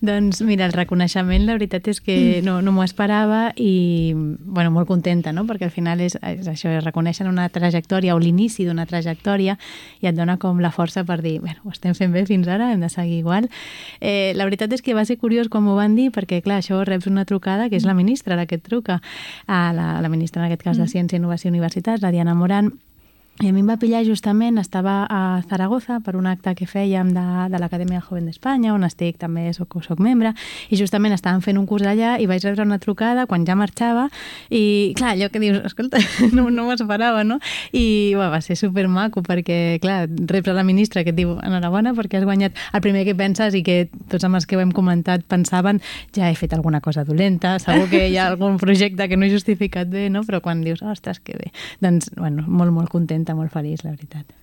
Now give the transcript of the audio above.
Doncs mira, el reconeixement la veritat és que no m'ho esperava i bueno, molt contenta, no? Perquè al final és això, es reconeixen una trajectòria o l'inici d'una trajectòria i et dona com la força per dir, bueno, ho estem fent bé fins ara, hem de seguir igual. La veritat és que va ser curiós quan m'ho van dir perquè, clar, això reps una trucada que és la ministra la que et truca, la ministra en aquest cas de Ciència, Innovació i Universitats, la Diana Morant. I a mi em va pillar justament, estava a Zaragoza per un acte que fèiem de l'Acadèmia Joven d'Espanya, on estic també, soc membre, i justament estàvem fent un curs allà i vaig rebre una trucada quan ja marxava i, clar, allò que dius, escolta, no m'ho esperava, no? I va ser supermaco perquè, clar, reps a la ministra que et diu enhorabona perquè has guanyat. El primer que penses i que tots amb els que ho hem comentat pensaven ja he fet alguna cosa dolenta, segur que hi ha algun projecte que no he justificat bé, no? Però quan dius, ostres, que bé, doncs, bueno, molt, molt contenta, molt feliç, la veritat.